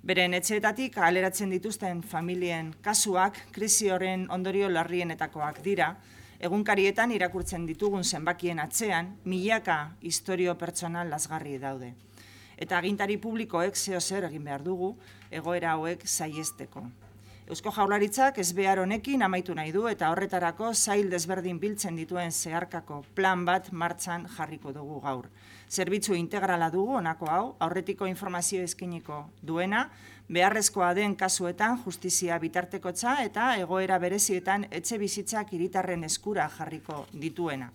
Beren etxeetatik aleratzen dituzten familien kasuak krisi horren ondorio larrienetakoak dira, egunkarietan irakurtzen ditugun zenbakien atzean, milaka istorio pertsonal lazgarri daude. Eta agintari publikoek zeo zer egin behar dugu, egoera hauek saihesteko. Eusko Jaurlaritzak ezbehar honekin amaitu nahi du eta horretarako sail desberdin biltzen dituen zeharkako plan bat martxan jarriko dugu gaur. Zerbitzu integrala dugu honako hau, aurretiko informazio eskainiko duena, beharrezkoa den kasuetan justizia bitartekotza eta egoera berezietan etxe bizitzak hiritarren eskura jarriko dituena.